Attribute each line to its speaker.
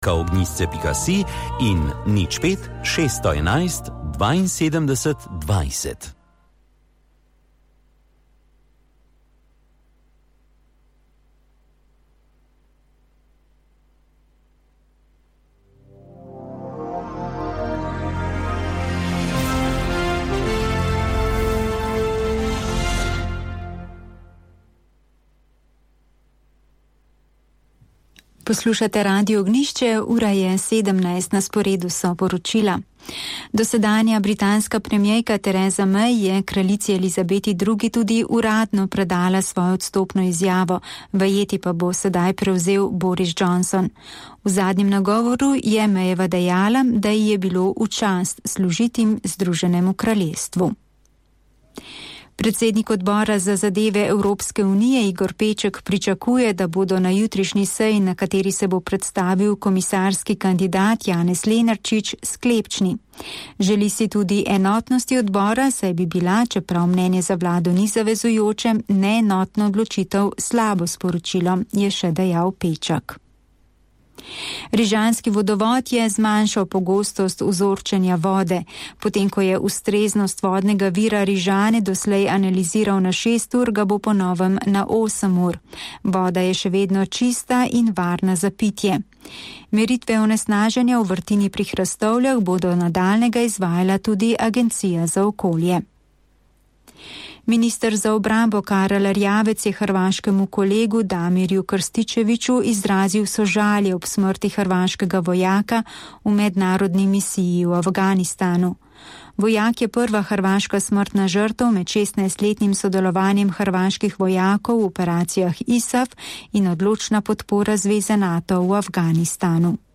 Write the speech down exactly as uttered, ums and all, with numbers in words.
Speaker 1: pika ognjišče pika si in nič pet šeststo enajst dvainsedemdeset dvajset.
Speaker 2: Poslušate Radio Ognjišče, ura je sedemnajst, na sporedu so poročila. Dosedanja britanska premierka Theresa May je kraljici Elizabeti drugi tudi uradno predala svojo odstopno izjavo, vajeti pa bo sedaj prevzel Boris Johnson. V zadnjem nagovoru je Mayeva dejala, da ji je bilo v čast služiti Združenemu kraljestvu. Predsednik odbora za zadeve Evropske unije Igor Peček pričakuje, da bodo na jutrišnji seji, na kateri se bo predstavil komisarski kandidat Janez Lenarčič, sklepčni. Želi si tudi enotnosti odbora, saj bi bila, čeprav mnenje za vlado ni zavezujoče, neenotno odločitev slabo sporočilo, je še dejal Peček. Rižanski vodovod je zmanjšal pogostost vzorčenja vode. Potem, ko je ustreznost vodnega vira Rižane doslej analiziral na šest ur, ga bo po novem na osem ur. Voda je še vedno čista in varna za pitje. Meritve onesnaženja v vrtini pri Hrastovljah bodo nadaljnega izvajala tudi Agencija za okolje. Minister za obrambo Karel Erjavec je hrvaškemu kolegu Damirju Krstičeviću izrazil sožalje ob smrti hrvaškega vojaka v mednarodni misiji v Afganistanu. Vojak je prva hrvaška smrtna žrtev med šestnajstletnim sodelovanjem hrvaških vojakov v operacijah I S A F in odločna podpora zveze NATO v Afganistanu.